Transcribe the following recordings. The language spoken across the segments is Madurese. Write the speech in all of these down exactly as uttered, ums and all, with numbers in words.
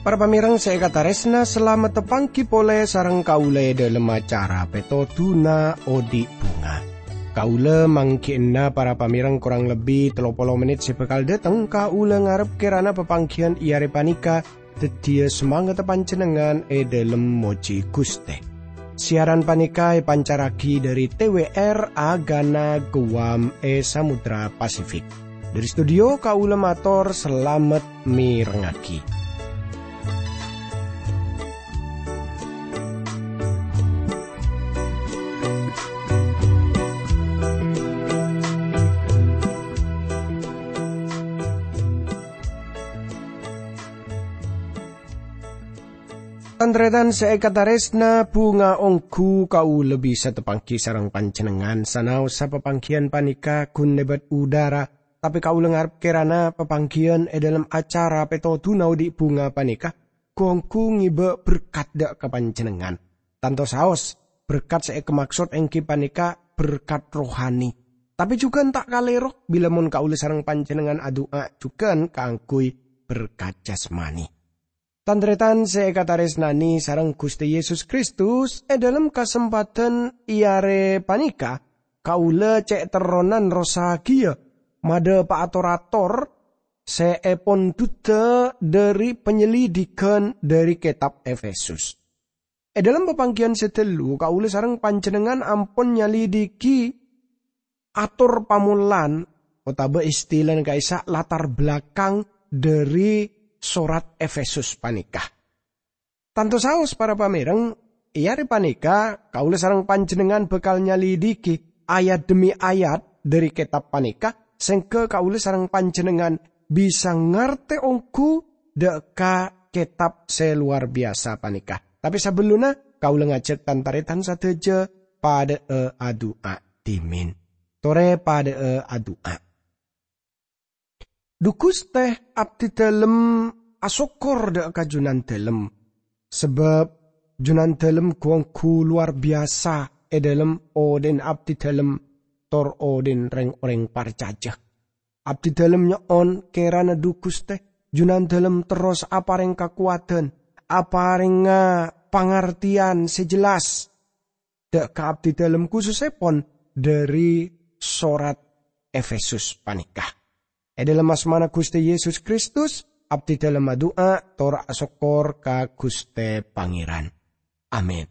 Para pamèrèng sè èkatarèsna, salamet tapangghi polè sareng kaulâ è dhâlem acara Pètodhuna Odi' Bhunga. Kaulâ mangghi'ânna para pamèrèng korang lebbi tello polo mennit sè bhâkal dhâteng. Kaulâ ngarep kèrana papangghiyân è arè panèka dhâddhiyâ samangatta panjhennengngan è dhâlem mojhi Ghustè. Siaran panèka èpancarraghi dhâri T W R Agana Guam è Samudra Pasifik. Dhâri studio kaulâ mator salamet mèrengngaghi. Tan-tarètan sè èkatarèsna, bhunga ongghu kaulâ bisa tapangghi sareng panjhennengngan sanaossa papangghiyân panèka ghun lèbât udhârâ, tapè kaulâ ngarep kèrana papangghiyân è dhâlem acara Pètodhuna Odi' Bhunga panèka ghu-ongghu ngèbâ berkat dhâ' ka panjhennengngan. Tanto saos, berkat sè èkamaksod èngghi panèka berkat rohani. Tapè jhughân ta' kalèro bilâ mon kaulâ sareng panjhennengngan adu'a jhughân kaangghuy berkat jasmani. Tan-tarètan sè èkatarèsnanè sareng Ghustè Yesus Kristus, è dhâlem kasempadhân è arè panèka, kaulâ cè' terronan rossagiyâ madhâpa'a tor-ator sè èpondhudhâ dhâri panyalidhigghân dhâri kètab Efesus. È dhâlem papangghiyân sè ghâllu, kaulâ sareng panjhennengngan ampon nyalidhighi ator pamolan otabâ istilana ka'issa' latar belakang dhâri sorat Efesus panèka. Tanto saos, para pamèrèng, è arè panèka kaulâ sareng panjhennengngan bhâkal nyalidhighi ayat dhemmi ayat dhâri kètab panèka, sèngghâ kaulâ sareng panjhennengngan bisa ngartè ongghu dhâ' ka kètab sè lowar biyasa panèka. Tapè sabellunna, kaulâ ngajhâk tan-tarètan sadhâjâ padhâ'â adu'a dhimèn. Torè padhâ'â adu'a. Dhu Ghustè, abdhidhâlem asokkor dhâ' ka Jhunandhâlem, sabâb Jhunandhâlem ghu-ongghu lowar biyasa è dhâlem odhi'na abdhidhâlem tor odhi'na rèng-orèng parcajâ. Abdhidhâlem nyo'on kèrana Dhu Ghustè, Jhunandhâlem terros aparèng kakowadhân, aparèngnga pangartèyan sè jelas dhâ' ka abdhidhâlem, khusussèpon dhâri sorat Efesus panèka. È dhâlem asmana Ghustè Yesus Kristus, abdhidhâlem adu'a tor asokkor ka Ghustè Pangèran. Amin.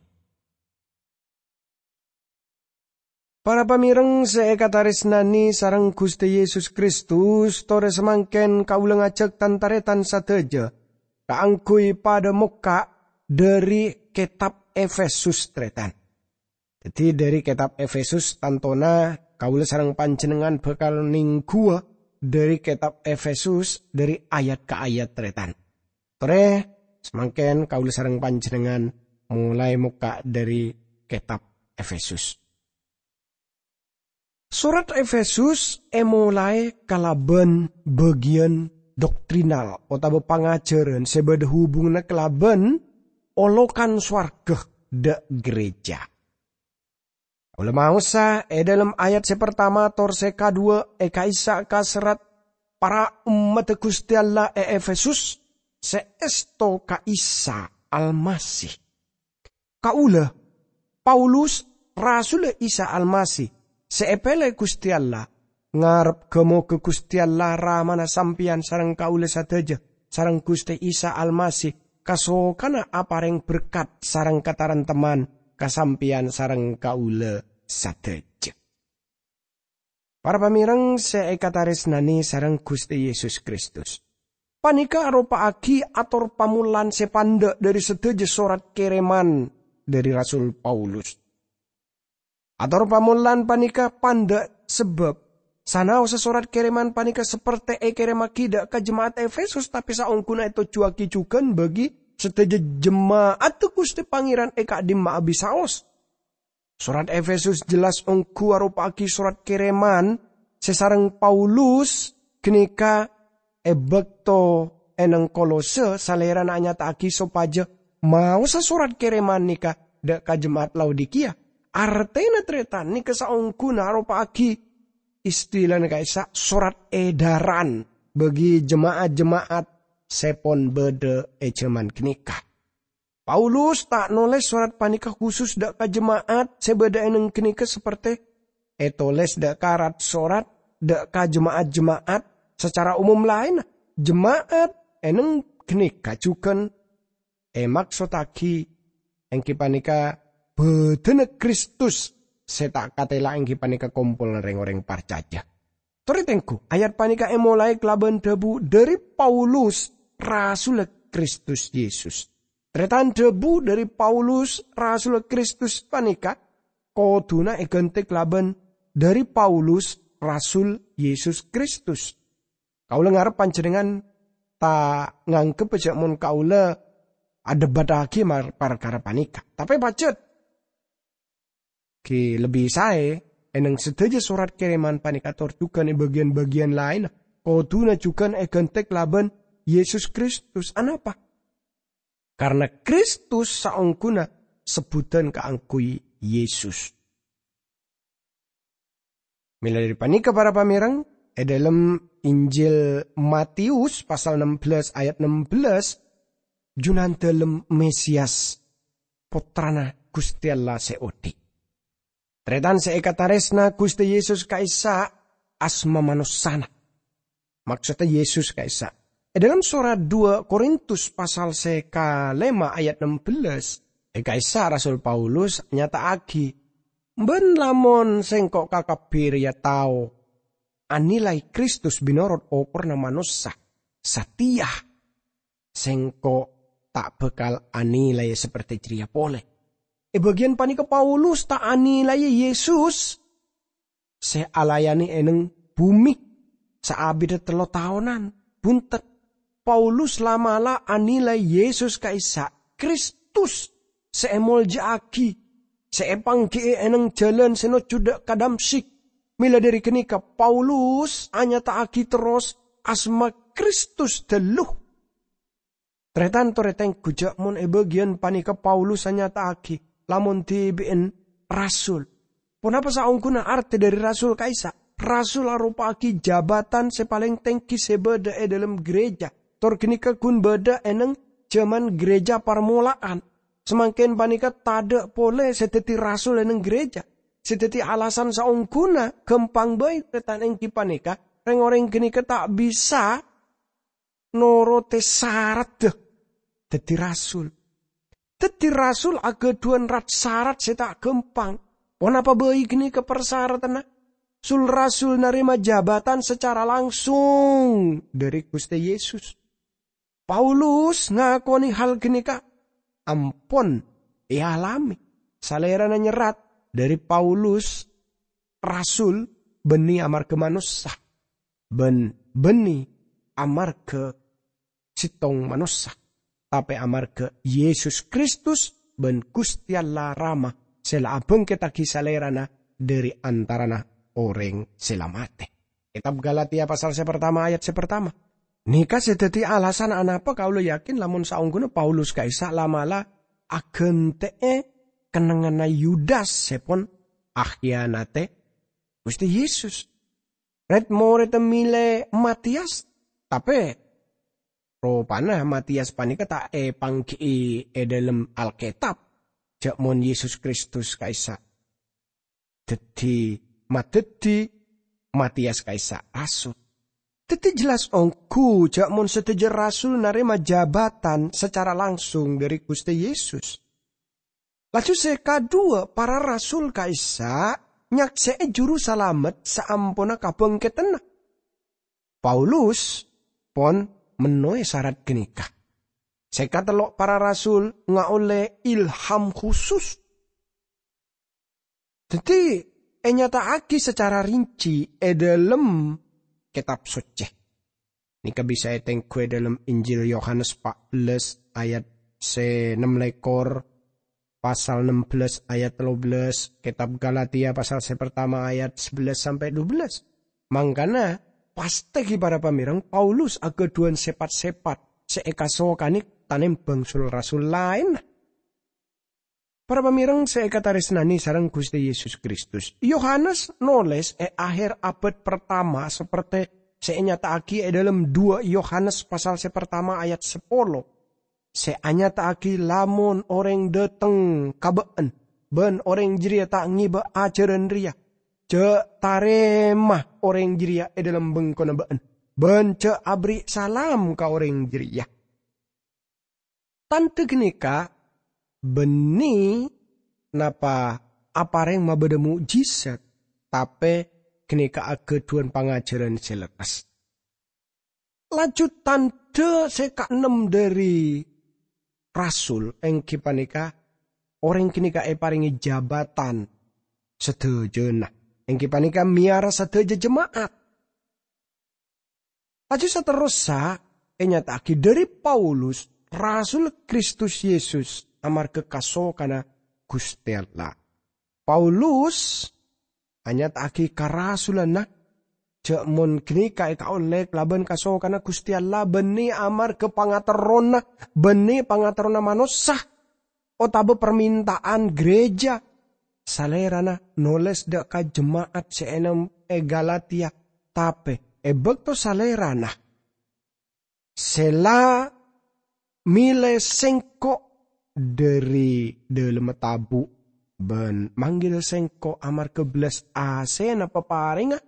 Para pamèrèng sè èkatarèsnanè sareng Ghustè Yesus Kristus, torè samangkèn kaulâ ngajhâk tan-tarètan sadhâjâ kaangghuy padhâ mokka' dhâri kètab Efesus, tarètan. Dhâddhi, dhâri kètab Efesus, tantona kaulâ sareng panjhennengngan bhâkal nèngghuwâ dhâri kètab Efesus dhâri ayat ka ayat, tarètan. Torè, samangkèn kaulâ sareng panjhennengngan molaè mokka' dhâri kètab Efesus. Sorat Efesus èmolaè kalabân bâgiyân doktrinal otabâ pangajhârân sè bâdâ hubunganna kalabân olokan sowarghâ dhâ' gereja. Kaulâ maosa è dhâlem ayat sè partama tor sè kaduwâ è ka'issa' ka serrat para ommaddhâ Ghustè Allah è Efesus sè èsto ka Isa Almasih. Kaulâ, Paulus, rasulla Isa Almasih sè èpèlè Ghustè Allah, ngarep ghâ-moghâ Ghustè Allah, Ramana sampèyan sareng kaulâ sadhâjâ, sareng Ghustè Isa Almasih, kasokana aparèng berkat sareng katarèmtemman ka sampèyan sareng kaulâ sadhâjâ. Para pamèrèng sè èkatarèsnanè sareng Ghustè Yesus Kristus, panèka aropa'aghi ator pamolan sè pandâ' dhâri sadhâjâ sorat kèrèman dhâri Rasul Paulus. Ator pamolan panèka pandâ' sabâb sanaossa sorat kèrèman panèka saperte èkèrèmmaghi dhâ' ka jema'at Efesus, tapè saongghuna ètojjhuwâghi jhughân bagi sadhâjâ jema'adda Ghustè Pangèran è ka'dimma'a bisaos. Sorat Efesus jelas ongghu aropa'aghi sorat kèrèman sè sareng Paulus ghânèka è bâkto è neng Kolose, salèrana anyata'aghi sopajâ maosa sorat kereman nèka dâ' ka jema'at Laodikiya. Artèna tarètan nèka saongghuna aropa'aghi istilana ka'issa' sorat edaran bagi jema'at-jema'at sè pon bâdâ è jhâman ghânèka. Paulus ta' nolès sorat panèka khusus dâ' ka jema'at sè bâdâ è nèng ghânèka, saperte ètolès dâ' ka rat-sorat dâ' ka jema'at-jema'at sacara umum laènna. Jema'at è nèng ghânèka jhughân èmaksottaghi èngghi panèka bâdâna Kristus sè ta' katèla èngghi panèka kompolanna rèng-orèng parcajâ. Torè tengghu, ayat panèka èmolaè kalabân dhâbu dhâri Paulus, rasulla Kristus Yesus. Tarètan dhâbu dhâri Paulus, rasulla Kristus panèka kodhuna èghântè kalabân dhâri Paulus, rasul Yesus Kristus. Kaulâ ngarep panjhennengngan ta' nganggep jhâ' mon kaulâ adhebâttaghi mar-, parkara panèka. Tapè pajhât, ghi lebbi saè, è nèng sadhâjâ sorat kereman panèka tor jhughân è bâgiyân-bâgiyân laènna, kodhuna jhughân èghântè kalabân Yesus Kristus. Anapa? Karna Kristus saongghuna sebbhudhân kaangghuy Yesus. Mèla dhâri panèka, para pamèreng, è dhâlem Injil Matius pasal ennem belas ayat ennem belas, Junandalem Mesias, Pottrana Ghustè Allah sè odi'. Tarètan sè èkatarèsna Ghustè Yesus ka'issa' asma manossana. Maksodda Yesus ka'issa'. È dhâlem sorat dua Korintus pasal sè kalèma ayat ennem belas, è ka'issa' Rasul Paulus nyata'aghi, "Bân lamon sèngko' kakabbhi rèya tao anilai Kristus bi' norot okorna manossa, satèya sèngko' ta' bhâkal anilai saperte jârèya polè." È bâgiyân panèka Paulus ta' anilai Yesus sè alayanè è nèng bhumè saabidda tello taonan. Bhunten, Paulus la'-mala' anilai Yesus ka'issa' Kristus sè èmolja'aghi, sè èpangghi'i è nèng jhâlân sè nojjhu dâ' ka Damsyik. Mèla dhâri ghânèka, Paulus anyata'aghi terros asma Kristus dhâllu. Tarètan torè tengghu jhâ' mon è bâgiyân panèka Paulus anyata'aghi, lamon dhibi'en rasul. Ponapa saongghuna artè dhâri rasul ka'issa'? Rasul aropa'aghi jabatan sè palèng tèngghi sè bâdâ è dhâlem ghârèjâ. Tor ghânèka ghun bâdâ è nèng jhâman ghârèjâ parmola'an. Samangkèn panèka tadâ' polè sè dhâddhi rasul è nèng ghârèjâ. Sè dhâddhi alasan saongghuna ghâmpang bhâi, tarètan, èngghi panèka rèng-orèng ghânèka ta' bisa norote saradda dhâddhi rasul. Dhâddhi rasul aghâdhuwân rat-sarat sè ta' ghâmpang. Ponapa bhâi ghânèka parsaratanna? Sul-rasul narèma jabatan sacara langsung dhâri Ghustè Yesus. Paulus ngakonè hal ghânèka ampon èalamè. Salèrana nyerrat dhâri Paulus, rasul, bânnè amarghâ manossa, bân bânnè amarghâ sèttong manossa, tapè amarghâ Yesus Kristus bân Ghustè Allah Rama sè la abhângkettaghi Salèrana dhâri antarana orèng sè la matè. Kètab Galatia pasal sè partama ayat sè partama. Nèka sè dhâddhi alasan anapa kaulâ yakin lamon saongghuna Paulus ka'issa' la'-mala' aghântè'è kennengnganna Yudas sè pon akhiyanatè Ghustè Yesus. Red-moredda mèlè Matiyas, tapè ropana Matiyas panèka ta' èpangghi'i è dhâlem Alkètab, jhâ' mon Yesus Kristus ka'issa' dhâddhi, madhâddhi Matiyas ka'issa' rasul. Dhâddhi jelas ongghu jhâ' mon sadhâjâ rasul narèma jabatan sacara langsung dhâri Ghustè Yesus. Laju sè kaduwâ, para rasul ka'issa' nyaksè'è Jurusalamet saamponna kabhângkeddhânna. Paulus pon mennowè sarat ghânèka. Sè katello', para rasul ngaollè ilham khusus. Dhâddhi, ènyata'aghi sacara rinci è dhâlem Kètab Soccè. Nèka bisa ètengghu è dhâlem Injil Yohanes pa' bellâs ayat sè nem lèkor, pasal nem bellâs ayat tello bellâs, Kètab Galatia pasal sè partama ayat sabellâs sampè' dubellâs. Mangkana, pastè ghi para pamèreng Paulus aghâdhuwân sèpat-sèpat sè èkasokanè tanembhâng sul-rasul laènna. Para pamèreng sè èkatarèsnanè sareng Ghustè Yesus Kristus, Yohanes nolès è akhèr abad pertama saperte sè ènyata'aghi è dhâlem duwâ' Yohanes pasal sè pertama ayat sapolo, sè anyata'aghi lamon orèng dhâteng ka bâ'ân, bân orèng jârèya ta' ngèbâ ajhârân rèya, jhâ' tarèma orèng jârèya è dhâlem bengkona bâ'ân, bân jhâ' aberri' salam ka orèng jârèya. Tandhâ ghânèka bânnè napa aparèng mabâdâ mo'jizat, tapè ghânèka aghâdhuwân pangajhârân sè lerres. Laju tandhâ sè kaennem dhâri rasul, èngghi panèka orèng ghânèka èparèngè jabatan sadhâjâna, èngghi panèka mèyara sadhâjâ jema'at. Laju saterrossa ènyata'aghi dhâri Paulus, rasul Kristus Yesus, amarghâ kasokanna Ghustè Allah. Paulus anyata'aghi karasulanna jhâ' mon ghânèka èkaollè kalabân kasokanna Ghustè Allah, bânnè amarghâ pangaterrona, bânnè pangaterrona manossa, otabâ parmènta'an gereja. Salèrana nolès dâ' ka jema'at sè ènèm è Galatia, tapè è bâkto salèrana sè la mèlè sèngko' dhâri dhâlemma tabu' bân manggil sèngko' amarghâ bellas asèna paparèngnga,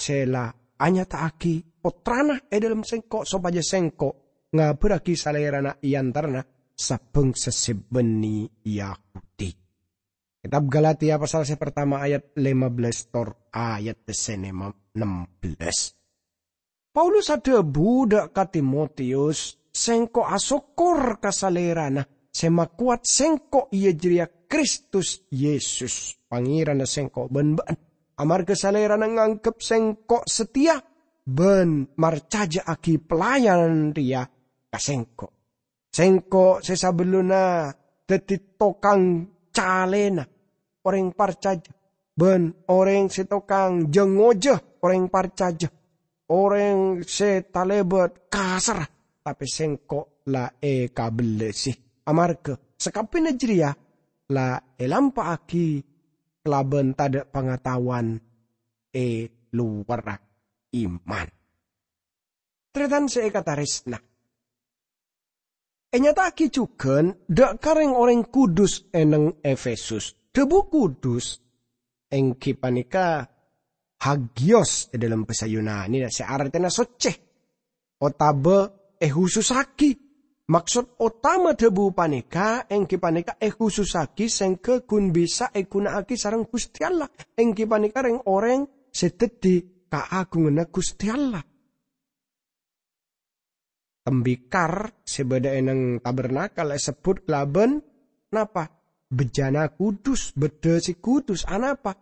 sè la anyata'aghi Pottrana è dhâlem sèngko', sopajâ sèngko' ngabârrâghi Salèrana è antarana sabângsa sè bânnè Yahudi. Kètab Galatia pasal sè partama ayat lèma bellâs tor ayat sè nem-, nem bellâs. Paulus adhâbu dâ' ka Timotius, "Sèngko' asokkor ka Salèrana sè makowat sèngko', iyâ jârèya Kristus Yesus, Pangèranna sèngko' bân bâ'ân. Amarghâ Salèrana nganggep sèngko' sateya bân marcajâ'aghi pelayan rèya ka sèngko'. Sèngko' sè sabellunna dhâddhi tokang calèna orèng parcajâ, bân orèng sè tokang jâ-ngojâ orèng parcajâ, orèng sè talèbât kasarra, tapè sèngko' la èkabellâsi. Amarghâ sakabbhiyânna jârèya la èlampa'aghi kalabân tadâ' pangataowan è lowarra iman." Tarètan sè èkatarèsna, ènyata'aghi jhughân dâ' ka rèng-orèng kudus è neng Efesus. Dhâbu kudus èngghi panèka hagios è dhâlem bhâsa Yunanina sè artèna soccè otabâ èhusussaghi. Maksod otama dhâbu panèka èngghi panèka èhusussaghi sèngghâ ghun bisa èghuna'aghi sareng Ghustè Allah, èngghi panèka rèng-orèng sè dhâddhi kaagunganna Ghustè Allah. Tembikar sè bâdâ è neng tabernakel èsebbhut kalabân napa? Bejjana kudus, beddhâ sè kudus. Anapa?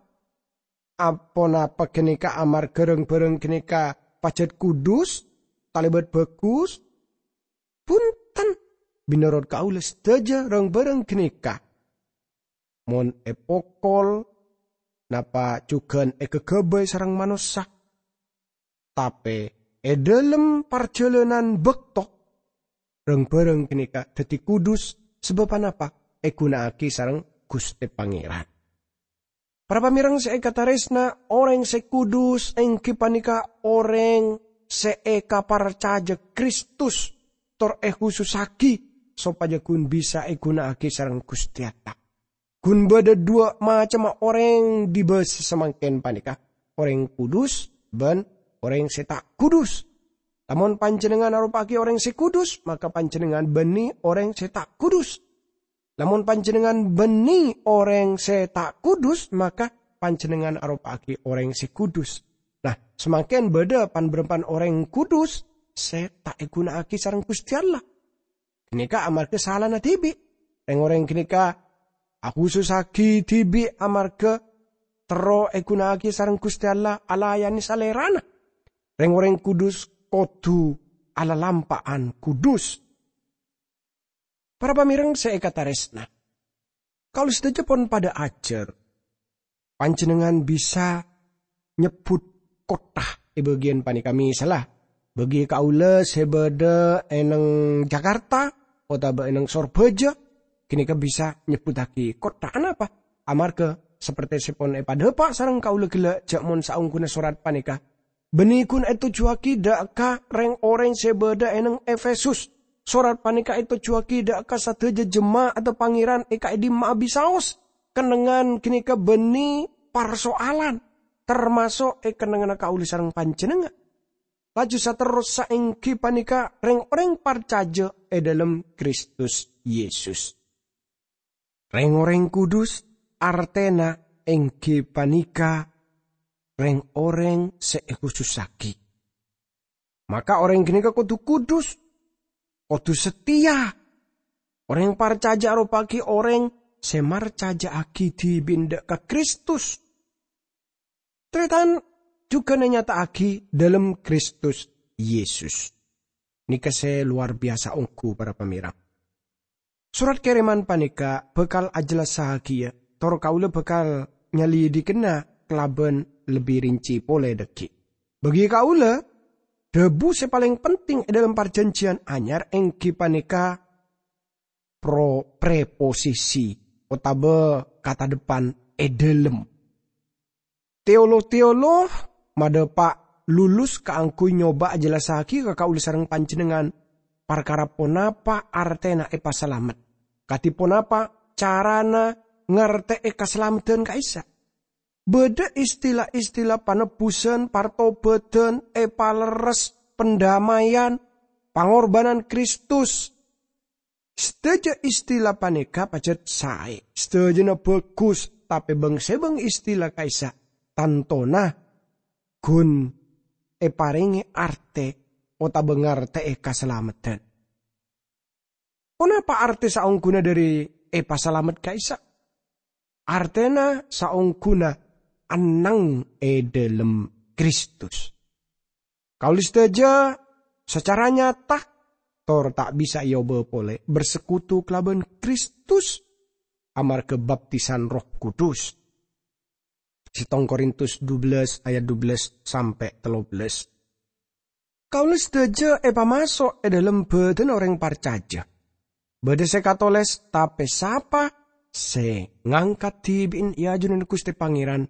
Aponapa ghânèka amarghâ rang-bhârâng ghânèka pajhât kudus, talèbât bhâghus? Bhunten, mènorot kaulâ sadhâjâ rang-bhârâng ghânèka, mon èpokol, napa jhughân èghâghâbây sareng manossa. Tapè è dhâlem parjhâlânan bâkto, rang-bhârâng ghânèka dhâddhi kudus, sabâb anapa? Èghuna'aghi sareng Ghustè Pangèran. Para pamèreng sè èkatarèsna, orèng sè kudus èngghi panèka orèng sè èkaparcajâ Kristus tor èhusussaghi sopajâ ghun bisa èghuna'aghi sareng Ghustè Allah. Ghun bâdâ dhuwâ' macemma orèng è bâsa samangkèn panèka, orèng kudus bân orèng sè ta' kudus. Lamon panjhennengngan aropa'aghi orèng sè kudus, maka panjhennengngan bânnè orèng sè ta' kudus. Lamon panjhennengngan bânnè orèng sè ta' kudus, maka panjhennengngan aropa'aghi orèng sè kudus. Nah, samangkèn bâdâ pan-bârâmpan orèng kudus sè ta' èghuna'aghi sareng Ghustè Allah. Ghânèka amarghâ salana dhibi'. Rèng-orèng ghânèka ahusussaghi dhibi' amarghâ terro èghuna'aghi sareng Ghustè Allah alayanè Salèrana. Rèng-orèng kudus kodhu alalampa'an kudus. Para pamèreng sè èkatarèsna, kaulâ sadhâjâ pon padâ ajhâr. Panjhennengngan bisa nyebbhut kottha è bâgiyân panèka. Misalla, bâgi kaulâ sè bâdâ è neng Jakarta, otabâ è nèng sorbhâjâ, ghânèka bisa nyebbhuttaghi kottha. Anapa? Amarghâ sapertè sè pon èpadhâpa' sareng kaulâ ghellâ' jâ' mon saongghuna sorat panèka bânnè ghun ètojjhuwâghi dâ' ka rèng-orèng sè bâdâ è nèng Efesus. Sorat panèka ètojjhuwâghi dâ' ka sadhâjâ jema'adda Pangèran è ka'dimma'a bisaos. Kennengngan ghânèka bânnè parsoalan, tamaso' è kennengnganna kaulâ sareng panjhennengngan. Laju saterrossa èngghi panèka rèng-orèng parcajâ è dhâlem Kristus Yesus. Rèng-orèng kudus artèna èngghi panèka rèng-orèng sè èkhusussaghi. Maka orèng ghânèka kodhu kudus, kodhu sateya. Orèng parcajâ aropa'aghi orèng sè marcajâ'aghi dhibi'na dâ' ka Kristus. Tarètan jhughân ènyata'aghi dhâlem Kristus Yesus. Nèka sè lowar biyasa ongghu, para pamèreng. Sorat kèrèman panèka bhâkal ajellassaghiyâ, tor kaulâ bhâkal nyalidikana kalabân lebbi rinci polè dhâggi'. Bâgi kaulâ, dhâbu sè palèng penting è dhâlem Parjhânjhiyân Anyar èngghi panèka pro-, preposisi otabâ kata depan "è dhâlem". Teolo-teolog madhâpa' lulus kaangghuy nyoba ajellassaghiyâ ka kaulâ sareng panjhennengngan parkara ponapa artèna èpasalamet, kadhi ponapa carana ngartè'è kasalameddhân ka'issa'. Bâdâ istila-istila panebbusan, partobâdhân, èpalerres, pandamèyan, pangorbhânan Kristus. Sadhâjâ istila panèka pajhât saè, sadhâjâna bhâghus, tapè bâng-sèbâng istila ka'issa' tantona ghun èparèngè artè otabâ ngartè'è kasalameddhân. Ponapa artè saongghuna dhâri èpasalamet ka'issa'? Artèna saongghuna enneng è dhâlem Kristus. Kaulâ sadhâjâ sacara nyata tor ta' bisa èobâ polè bersekutu kalabân Kristus amarghâ baptisan Erroh Kudus. Sèttong Korintus dubellâs ayat dubellâs sampè' tello bellâs. Kaulâ sadhâjâ èpamaso' è dhâlem bhâdhânna orèng parcajâ. Bâdâ sè katolès, "Tapè sapa sè ngangkat dhibi'na è ajunanna Ghustè Pangèran,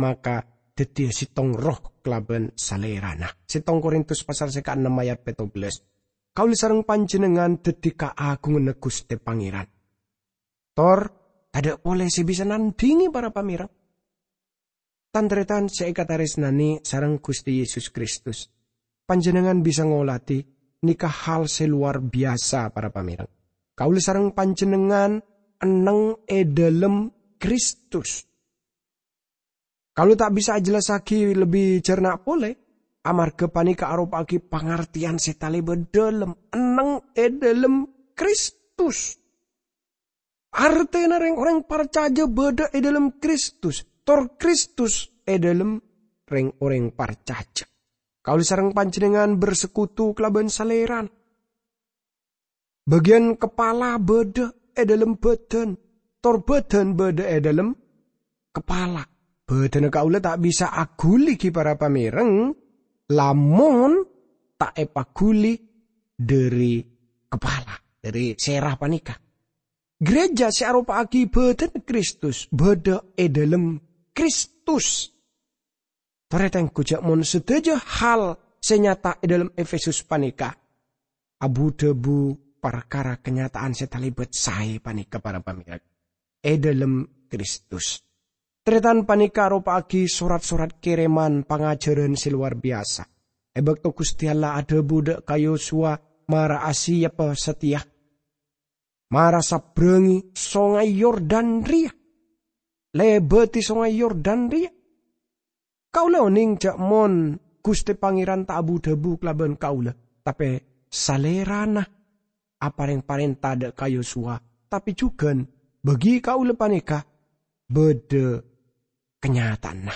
maka dhâddhiyâ sèttong erroh kalabân Salèrana." Sèttong Korintus pasal sè kaennem ayat pètto bellâs. Kaulâ sareng panjhennengngan dhâddhi kaagunganna Ghustè Pangèran. Tor, tadâ' polè sè bisa nandhingè, para pamèreng. Tan-tarètan sè èkatarèsnanè sareng Ghustè Yesus Kristus, panjhennengngan bisa ngolatè nèka hal sè lowar biyasa, para pamèreng. Kaulâ sareng panjhennengngan enneng è dhâlem Kristus. Kaulâ ta' bisa ajellassaghiyâ lebbi jhârna polè, amarghâ panèka aropa'aghi pangartèyan sè talèbât dhâlem, enneng è dhâlem Kristus. Artèna rèng-orèng parcajâ bâdâ è dhâlem Kristus, tor Kristus è dhâlem rèng-orèng parcajâ. Kaulâ sareng panjhennengngan bersekutu kalabân Salèrana. Bâgiyân kapala bâdâ è dhâlem bhâdhân, tor bhâdhân bâdâ è dhâlem kapala. Bhâdhânna kaulâ ta' bisa aghuli ghi para pamèreng, lamon ta' èpaghuli dhâri kapala, dhâri sèra panèka. Gereja sè aropa'aghi bhâdhânna Kristus bâdâ è dhâlem Kristus. Tarètan, ghu jhâ' mon sadhâjâ hal sè nyata è dhâlem Efesus panèka abu-dhâbu parkara kanyata'an sè talèbât saè panèka, para pamèreng, è dhâlem Kristus. Tarètan, panèka aropa'aghi sorat-sorat kèrèman pangajhârân sè lowar biyasa. È bâkto Ghustè Allah adhâbu dâ' ka Yosuwa, "Mara asiyappa satèya. Mara sabrângè Songay Yordan rèya. Lèbâdhi Songay Yordan rèya." Kaulâ onèng jhâ' mon Ghustè Pangèran ta' abu-dhâbu kalabân kaulâ, tapè Salèrana aparèng parènta dâ' ka Yosuwa, tapè jhughân bâgi kaulâ panèka bâdâ kanyata'anna.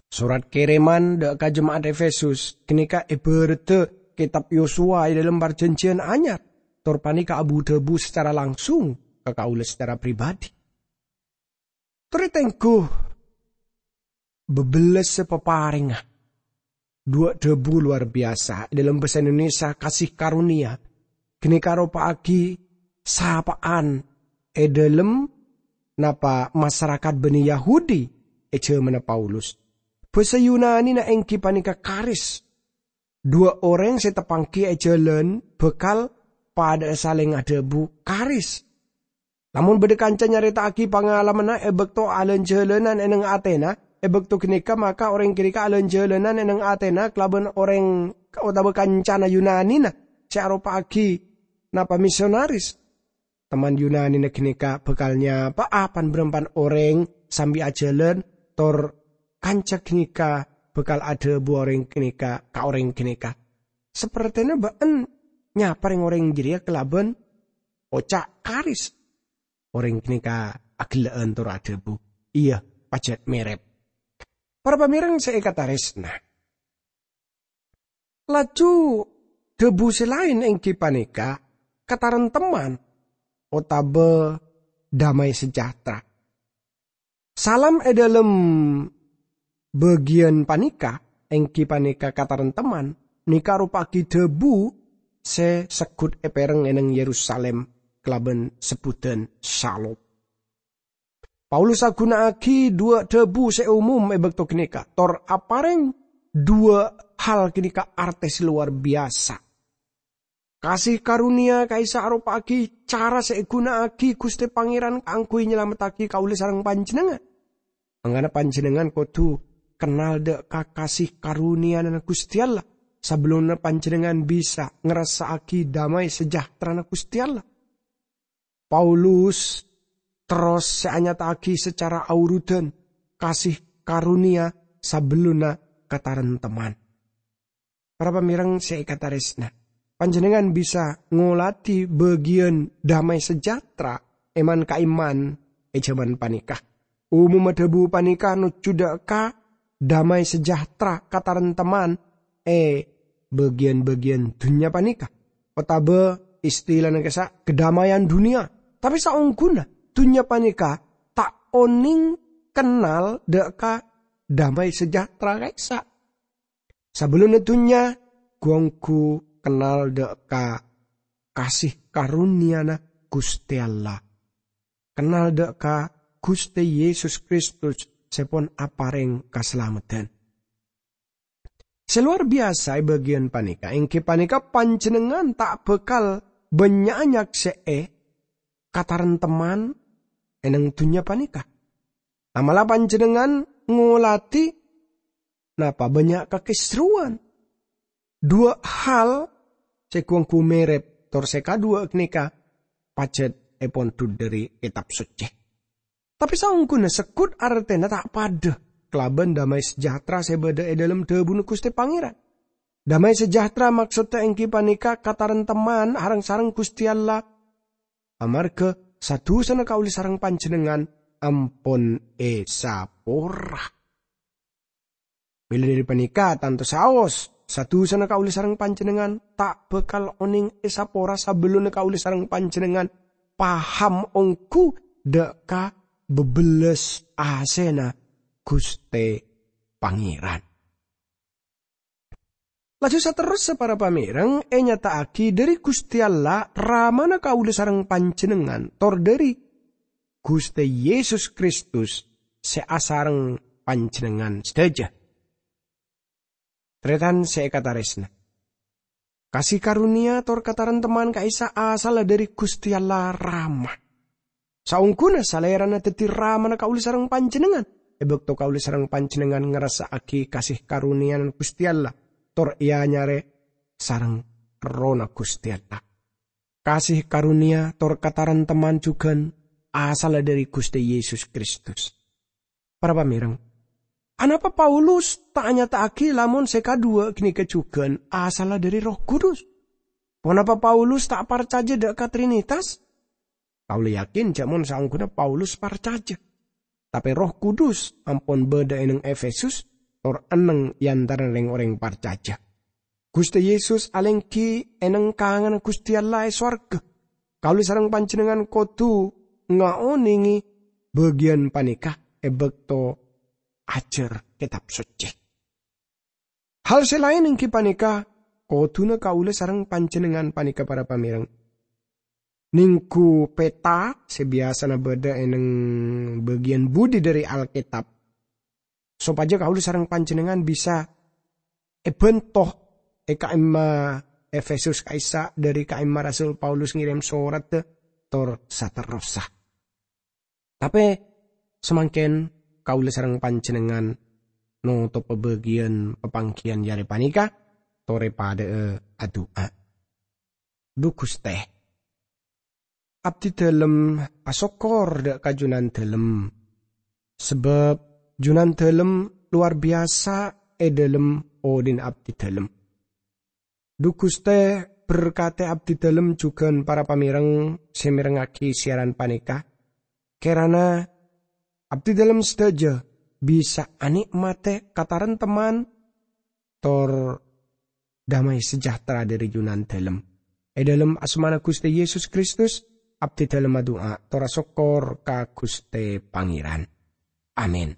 Sorat kèrèman dâ' ka jema'at Efesus ghânèka èbhârâddhâ kètab Yosuwa è dhâlem Parjhânjhiyân Anyar, tor panèka abu-dhâbu sacara langsung ka kaulâ sacara pribadi. Tarètan, ghu, bâbellâs sè paparèngnga. Duwâ' dhâbu lowar biyasa è dhâlem bhâsa Indonesia, kasih karunia. Ghânèka aropa'aghi sapa'an è dhâlem napa masarakat bânnè Yahudi è jhâmanna Paulus. Bhâsa Yunanina èngghi panèka karis. Duwâ' orèng sè tapanggi è jhâlân bhâkal padâ'â salèng adhâbu, "Karis." Lamon bâdâ kanca nyarèta'aghi pangalamanna è bâkto alân-jhâlânan è neng atèna, è bâkto ghânèka maka orèng ghânèka alân-jhâlânan è neng atèna kalabân orèng otabâ kancana Yunanina sè aropa'aghi napa misionaris. Teman Yunanina ghânèka bhâkal nyapa'a pan-bârâmpan orèng sambi ajhâlân, tor kanca ghânèka bhâkal adhâbu orèng ghânèka ka orèng ghânèka, "Sapertèna bâ'en nyapa rèng-orèng jârèya kalabân oca' karis." Orèng ghânèka aghellâ'ân tor adhâbu, "Iyâ, pajhât mèrèp." Para pamèreng sè èkatarèsna, laju dhâbu sè laèn èngghi panèka katarèmtemman otabâ damai sejahtera. Salam è dhâlem bâgiyân panèka, èngghi panèka katarèmtemman, nèka aropa'aghi dhâbu sè segghut èpèreng è neng Yerusalem kalabân sebbhudhân syalom. Paulus aghuna'aghi duwâ' dhâbu sè umum è bâkto ghânèka, tor aparèng duwâ' hal ghânèka artè sè lowar biyasa. Kasih karunia ka'issa' aropa'aghi cara sè èghuna'aghi Ghustè Pangèran kaangghuy nyalamettaghi kaulâ sareng panjhennengngan. Mangkana panjhennengngan kodhu kennal dâ' ka kasih karuniana Ghustè Allah, sabellunna panjhennengngan bisa ngarassa'aghi damai sejahterana Ghustè Allah. Paulus terros sè anyata'aghi sacara aorudan kasih karunia sabellunna katarèmtemman. Para pamèreng sè èkatarèsna, panjhennengngan bisa ngolatè bâgiyân damai sejahtera èman-ka'imman è jhâman panèka. Umumma dhâbu panèka nojjhu dâ' ka damai sejahtera katarèmtemman è bâgiyân-bâgiyân dhunnya panèka, otabâ istilana ka'issa' kedamaian dunia. Tapè saongghuna dhunnya panèka ta' onèng kennal dâ' ka damai sejahtera ka'issa'. Sabellunna dhunnya ghu-ongghu kennal dâ' ka kasih karuniana Ghustè Allah. Kennal dâ' ka Ghustè Yesus Kristus sè pon aparèng kasalameddhân. Sè lowar biyasa è bâgiyân panèka èngghi panèka panjhennengngan ta' bhâkal bânnya' nyaksè'è katarèmtemman è neng dhunnya panèka. Amalla panjhennengngan ngolatè napa bânnya' kakèsrowan. Duwâ' hal sè ghu-ongghu mèrèp, tor sè kaduwâ' ghânèka pajhât èpondhut dhâri Kètab Soccè. Tapè saongghuna segghut artèna ta' padâ kalabân damai sejahtera sè bâdâ è dhâlem dhâbuna Ghustè Pangèran. Damai sejahtera maksodda èngghi panèka katarèmtemman areng-sareng Ghustè Allah, amarghâ sa-dusana kaulâ sareng panjhennengngan ampon èsapora. Mèla dhâri panèka, tanto saos, sa-dusana kaulâ sareng panjhennengngan ta' bhâkal onèng èsapora sabellunna kaulâ sareng panjhennengngan paham ongghu dâ' ka bâbellâs asèna Ghustè Pangèran. Laju saterrossa, para pamèreng, ènyata'aghi dhâri Ghustè Allah, Ramana kaulâ sareng panjhennengngan, tor dhâri Ghustè Yesus Kristus sè asareng panjhennengngan sadhâjâ. Tarètan sè èkatarèsna, kasih karunia tor katarèmtemman ka'issa' asalla dhâri Ghustè Allah Rama. Saongghuna Salèrana dhâddhi Ramana kaulâ sareng panjhennengngan, è bâkto kaulâ sareng panjhennengngan ngarassa'aghi kasih karuniana Ghustè Allah, tor èanyarè sareng Errohna Ghustè Allah. Kasih karunia tor katarèmtemman jhughân asalla dhâri Ghustè Yesus Kristus. Para pamèreng, anapa Paulus ta' anyata'aghi lamon sè kaduwâ' ghânèka jhughân asalla dhâri Erroh Kudus? Ponapa Paulus ta' parcajâ dâ' ka Trinitas? Kaulâ yakin jhâ' mon saongghuna Paulus parcajâ. Tapè Erroh Kudus ampon bâdâ è neng Efesus, tor enneng è antarana rèng-orèng parcajâ. Ghustè Yesus alèngghi è neng kanganna Ghustè Allah è sowarghâ. Kaulâ sareng panjhennengngan kodhu ngaonèngè bâgiyân panèka è bâkto ajhâr Kètab Soccè. Hal sè laèn èngghi panèka, kodhuna kaulâ sareng panjhennengngan panèka, para pamèreng, nèngghu peta sè biyasana bâdâ è neng bâgiyân budi dhâri Alkètab, sopajâ kaulâ sareng panjhennengngan bisa èbhânto è ka'imma Efesus ka'issa' dhâri ka'imma Rasul Paulus ngèrèm soradda tor saterrossa. Tapè samangkèn kaulâ sareng panjhennengngan notobhâ bâgiyân papangghiyân arè panèka, torè padâ'â adu'a. Dhu Ghustè, abdhidhâlem asokkor dhâ' ka Junandhâlem, sabâb Junandhâlem lowar biyasa è dhâlem odhi'na abdhidhâlem. Dhu Ghustè, berkatè abdhidhâlem jhughân para pamèreng sè mèrengngaghi siyaran panèka. Kèrana abdhidhâlem sadhâjâ bisa anè'matè katarèmteman tor damai sejahtera dhâri Junandhâlem. È dhâlem asmana Ghustè Yesus Kristus, abdhidhâlem adu'a tor asokkor ka Ghustè Pangèran. Amin.